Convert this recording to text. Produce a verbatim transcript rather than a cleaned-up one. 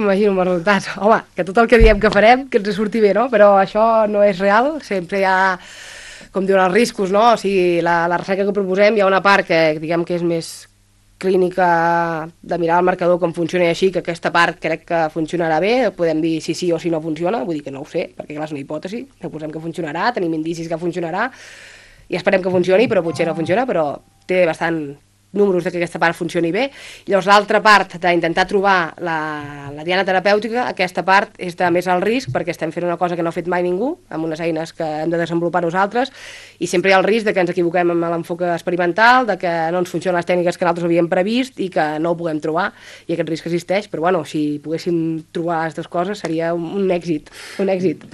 Imagino els resultats. Home, que tot el que diem que farem, que ens surti bé, no? Però això no és real, sempre hi ha, com diuen, els riscos, no? O sigui, la, la recerca que proposem, hi ha una part que, diguem que és més clínica de mirar el marcador com funciona i així, que aquesta part crec que funcionarà bé, podem dir si sí o si no funciona, vull dir que no ho sé, perquè clar, és una hipòtesi, que posem que funcionarà, tenim indicis que funcionarà, i esperem que funcioni, però potser no funciona, però té bastant números de que aquesta part funcioni bé. Llavors l'altra part d'intentar trobar la, la diana terapèutica, aquesta part és de més alt risc perquè estem fent una cosa que no ha fet mai ningú, amb unes eines que hem de desenvolupar nosaltres, i sempre hi ha el risc de que ens equivoquem amb l'enfoc experimental, de que no ens funcionen les tècniques que nosaltres havíem previst i que no ho puguem trobar, i aquest risc existeix, però bueno, si poguéssim trobar les dues coses seria un, un èxit, un èxit.